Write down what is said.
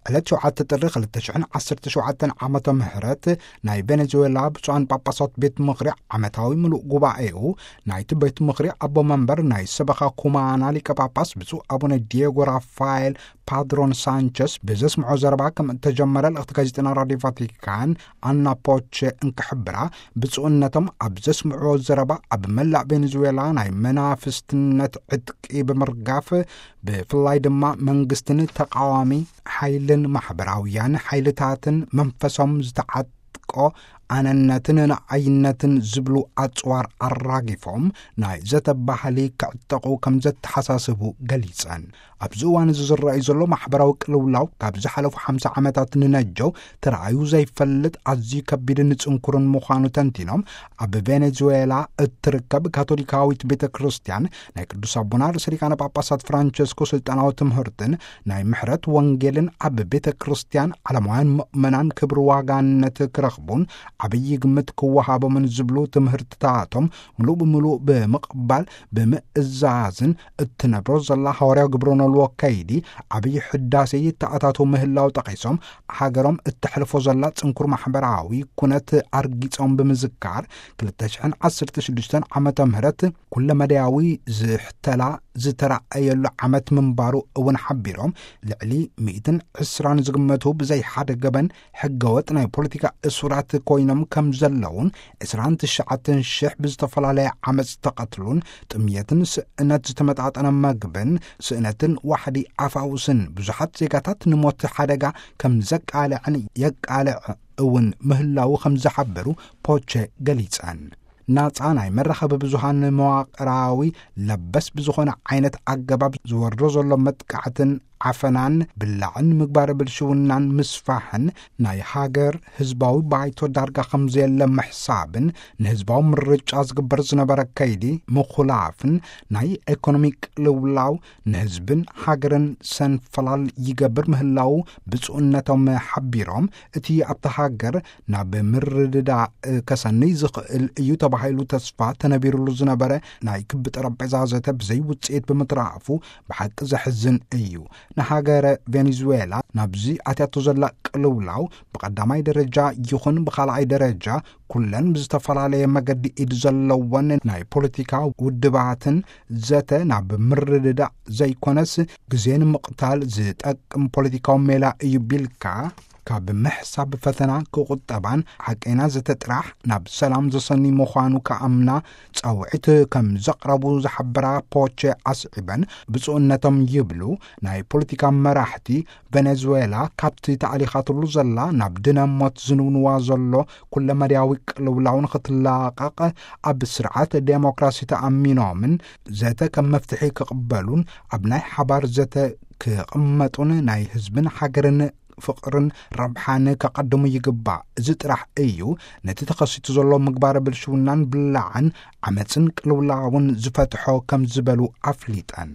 ዕለት ሸውዓተ ጥሪ ክልተ ሽሕን ዓሰርተ ሸውዓተን ዓመተ ምህረት ናይ ቬኔዙዌላ ብፁዓን ጳጳሳት ቤት ምኽሪ ዓመታዊ ምሉእ ጉባኤኡ፣ ናይቲ ቤት ምኽሪ ኣቦ መንበር ናይ ሰበኻ ኩማና ሊቀ ጳጳስ ብፁዕ ኣቡነ ዲየጎ ራፋኤል ፓድሮን ሳንቸስ ብዘስምዖ ዘረባ ከም እተጀመረ ልእኽቲ ጋዜጠና ራዲዮ ቫቲካን ኣና ፖቸ እንክሕብራ፣ ብፁዕነቶም ኣብ ዘስምዕዎ ዘረባ ኣብ መላእ ቬኔዙዌላ ናይ መናፍስትነት ዕጥቂ ብምርጋፍ፣ ብፍላይ ድማ መንግስትን ተቃዋሚ ሓይልን ማሕበራውያን ሓይልታትን መንፈሶም ዝተዓጥቆ ኣነነትን ንዓይነትን ዝብሉ ኣጽዋር ኣራጊፎም ናይ ዘተ ባህሊ ክዕጠቑ ከም ዘተሓሳስቡ ገሊጸን። ኣብዚ እዋን እዚ ዝረኣዩ ዘሎ ማሕበራዊ ቅልውላው ካብ ዝሓለፉ ሓምሳ ዓመታት ንነጀው ተራእዩ ዘይፈልጥ ኣዝዩ ከቢድን ጽንኩርን ምዃኑ ተንቲኖም፣ ኣብ ቬኔዙዌላ እትርከብ ካቶሊካዊት ቤተ ክርስቲያን ናይ ቅዱስ ኣቦና ርእሰ ሊቃነ ጳጳሳት ፍራንቸስኮ ስልጣናዊ ትምህርትን ናይ ምሕረት ወንጌልን ኣብ ቤተ ክርስቲያን ዓለማውያን ምእመናን ክብሪ ዋጋነት ክረኽቡን ዓብዪ ግምት ክወሃቦምን ዝብሉ ትምህርትታቶም ምሉእ ብምሉእ ብምቕባል ብምእዛዝን እትነብሮ ዘላ ሃዋርያዊ ግብረ ኖልዎ ከይዲ ዓብዪ ሕዳሴ ይተኣታተው ምህላው ጠቒሶም፣ ሃገሮም እተሕልፎ ዘላ ጽንኩር ማሕበራዊ ኩነት ኣርጊጾም ብምዝካር፣ ክልተ ሽሕን ዓሰርተ ሽዱሽተን ዓመተ ምህረት ኩለመዳያዊ ዝሕተላ ዝተራእየሉ ዓመት ምንባሩ እውን ሓቢሮም፣ ልዕሊ ሚእትን ዕስራን ዝግመቱ ብዘይ ሓደ ገበን ሕገወጥ ናይ ፖለቲካ እሱራት ኮይኖም ከም ዘለውን፣ ዕስራን ትሽዓተን ሽሕ ብዝተፈላለየ ዓመፅ ዝተቐትሉን ጥምየትን ስእነት ዝተመጣጠነ መግብን ስእነትን ዋሕዲ ኣፋውስን ብዙሓት ዜጋታት ንሞት ሓደጋ ከም ዘቃልዐን የቃልዕ እውን ምህላዉ ከም ዝሓበሩ ፖቸ ገሊጸን። ናጻ ናይ መራኸቢ ብዙሃን መዋቕራዊ ለበስ ብዝኾነ ዓይነት ኣገባብ ዝወርዶ ዘሎ መጥቃዕትን ዓፈናን ብላዕን ምግባር ብልሽውናን ምስፋሕን ናይ ሃገር ህዝባዊ ባይቶ ዳርጋ ከም ዘየለ ምሕሳብን ንህዝባዊ ምርጫ ዝግበር ዝነበረ ከይዲ ምኹላፍን ናይ ኢኮኖሚ ቅልውላው ንህዝብን ሃገርን ሰንፈላል ይገብር ምህላዉ ብፁዕነቶም ሓቢሮም፣ እቲ ኣብታ ሃገር ናብ ምርድዳእ ከሰንይ ዝኽእል እዩ ተባሂሉ ተስፋ ተነቢሩሉ ዝነበረ ናይ ክቢ ጠረጴዛ ዘተ ብዘይ ውፅኢት ብምትራፉ ብሓቂ ዘሕዝን እዩ። ንሃገረ ቬኔዙዌላ ናብዚ ኣትያቶ ዘላ ቅልውላው ብቐዳማይ ደረጃ ይኹን ብኻልኣይ ደረጃ ኩለን ብዝተፈላለየ መገዲ ኢድ ዘለወን ናይ ፖለቲካ ውድባትን ዘተ ናብ ምርድዳእ ዘይኮነስ ግዜ ንምቕታል ዝጠቅም ፖለቲካዊ ሜላ እዩ ቢልካ ካብ ምሕሳብ ፈተና ክቑጠባን ሓቀይና ዘተ ጥራሕ ናብ ሰላም ዘሰኒ ምዃኑ ክኣምና ጻውዒት ከም ዘቕረቡ ዝሓበራ ፖቸ ኣስዒበን፣ ብፁዕነቶም ይብሉ ናይ ፖለቲካ መራሕቲ ቬኔዙዌላ ካብቲ ተኣሊኻትሉ ዘላ ናብ ድነ ሞት ዝንውንዋ ዘሎ ኩለመዳያዊ ቅልውላው ንኽትላቐቕ ኣብ ስርዓት ዴሞክራሲ ተኣሚኖምን ዘተ ከም መፍትሒ ክቕበሉን ኣብ ናይ ሓባር ዘተ ክቕመጡን ናይ ህዝብን ሃገርን ፍቕርን ረብሓን ከቐድሙ ይግባእ። እዚ ጥራሕ እዩ ነቲ ተኸሲቱ ዘሎ ምግባረ ብልሽውናን ብላዕን ዓመፅን ቅልውላውን ዝፈትሖ ከም ዝበሉ ኣፍሊጠን።